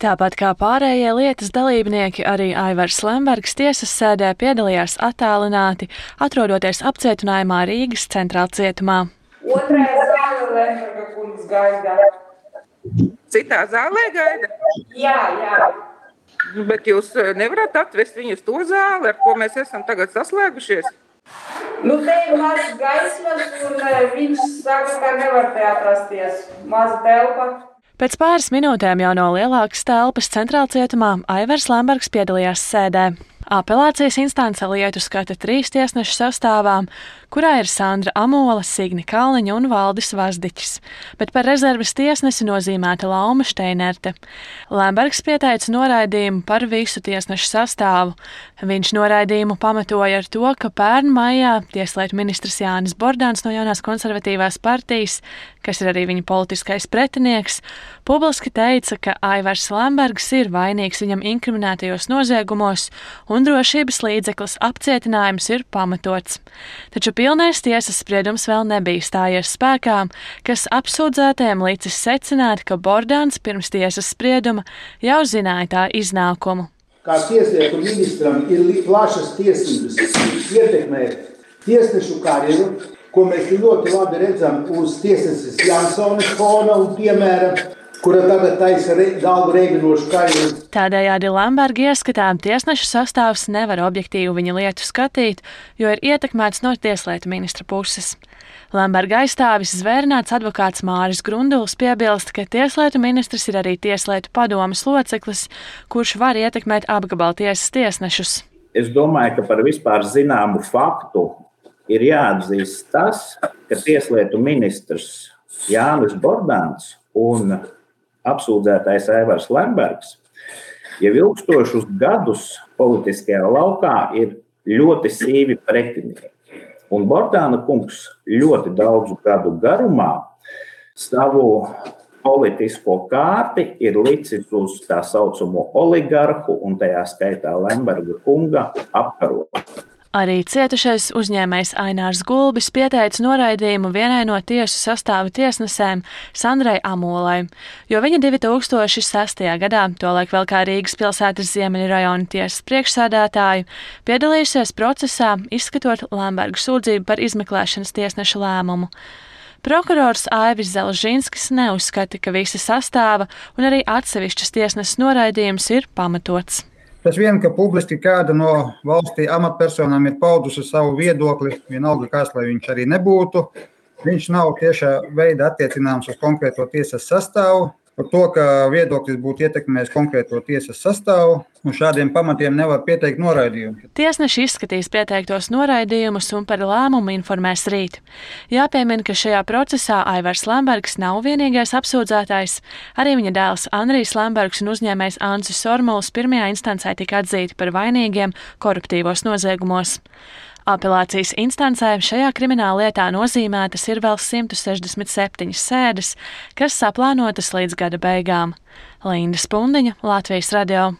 Tāpat kā pārējie lietas dalībnieki, arī Aivars Lembergs tiesas sēdē piedalījās attālināti, atrodoties apcietinājumā Rīgas centrālcietumā. Otrajā zālē Lemberga kungs gaida. Citā zālē gaida? Jā. Bet jūs nevarat atvest viņu uz to zāli, ar ko mēs esam tagad saslēgušies? Te ir mazs gaismas, un viņš saka, ka nevar te atrasties. Maza telpa. Pēc pāris minūtēm jau no lielākas telpas centrālcietumā Aivars Lembergs piedalījās sēdē. Apelācijas instance lietu skata 3 tiesnešu sastāvā, kurā ir Sandra Amola, Signe Kalniņa un Valdis Vazdiķis, bet par rezerves tiesnesi nozīmēta Lauma Šteinerte. Lembergs pieteica noraidījumu par visu tiesnešu sastāvu. Viņš noraidījumu pamatoja ar to, ka pērn maijā tieslietu ministrs Jānis Bordāns no Jaunās konservatīvās partijas, kas ir arī viņa politiskais pretinieks, publiski teica, ka Aivars Lembergs ir vainīgs viņam inkriminētajos noziegumos un drošības līdzeklis apcietinājums ir pamatots. Taču pilnais tiesas spriedums vēl nebija stājies spēkā, kas apsūdzētajiem licis secināt, ka Bordāns pirms tiesas sprieduma jau zināja tā iznākumu. Kā tieslietu ministram ir plašas tiesības ietekmēt tiesnešu karjeru, ko mēs ļoti labi redzam uz tiesneses Jansonas fona un piemēra, kura tagad taisa galvu reibinošu karjeru. Tādējādi Lemberga ieskatām tiesnešu sastāvs nevar objektīvi viņa lietu skatīt, jo ir ietekmēts no tieslietu ministra puses. Lemberga aizstāvis zvērināts advokāts Māris Grunduls piebilst, ka tieslietu ministrs ir arī tieslietu padomes loceklis, kurš var ietekmēt apgabaltiesas tiesnešus. Es domāju, ka par vispār zināmu faktu ir jāatzīst tas, ka tieslietu ministrs Jānis Bordāns un apsūdzētais Aivars Lembergs jau ilgstošus gadus politiskajā laukā ir ļoti sīvi pretinieki. Un Bordāna kungs ļoti daudzu gadu garumā savu politisko kārti ir licis uz tā saucamo oligarhu un tajā skaitā Lemberga kunga apkarošanu. Arī cietušais uzņēmējs Ainārs Gulbis pieteica noraidījumu vienai no tiesu sastāva tiesnesēm Sandrai Amolai, jo viņa 2006. gadā, tolaik vēl kā Rīgas pilsētas Ziemeļu rajona tiesas priekšsēdētāju, piedalījusies procesā, izskatot Lemberga sūdzību par izmeklēšanas tiesnešu lēmumu. Prokurors Aivis Zelžinskis neuzskata, ka visa sastāva un arī atsevišķas tiesneses noraidījums ir pamatots. Tas vien, ka publiski kāda no valstī amatpersonām ir paudusi savu viedokli, vienalga kāds, lai viņš arī nebūtu, viņš nav tiešā veidā attiecināms uz konkrēto tiesas sastāvu. Par to, ka viedoklis būtu ietekmējis konkrēto tiesas sastāvu, un šādiem pamatiem nevar pieteikt noraidījumu. Tiesneši izskatīs pieteiktos noraidījumus un par lēmumu informēs rīt. Jāpiemina, ka šajā procesā Aivars Lembergs nav vienīgais apsūdzētājs. Arī viņa dēls Andrijs Lembergs un uzņēmējs Ancis Sormuls pirmajā instancē tika atzīti par vainīgiem koruptīvos noziegumos. Apelācijas instancē šajā krimināllietā nozīmētas ir vēl 167 sēdes, kas saplānotas līdz gada beigām. Linda Spundiņa, Latvijas radio.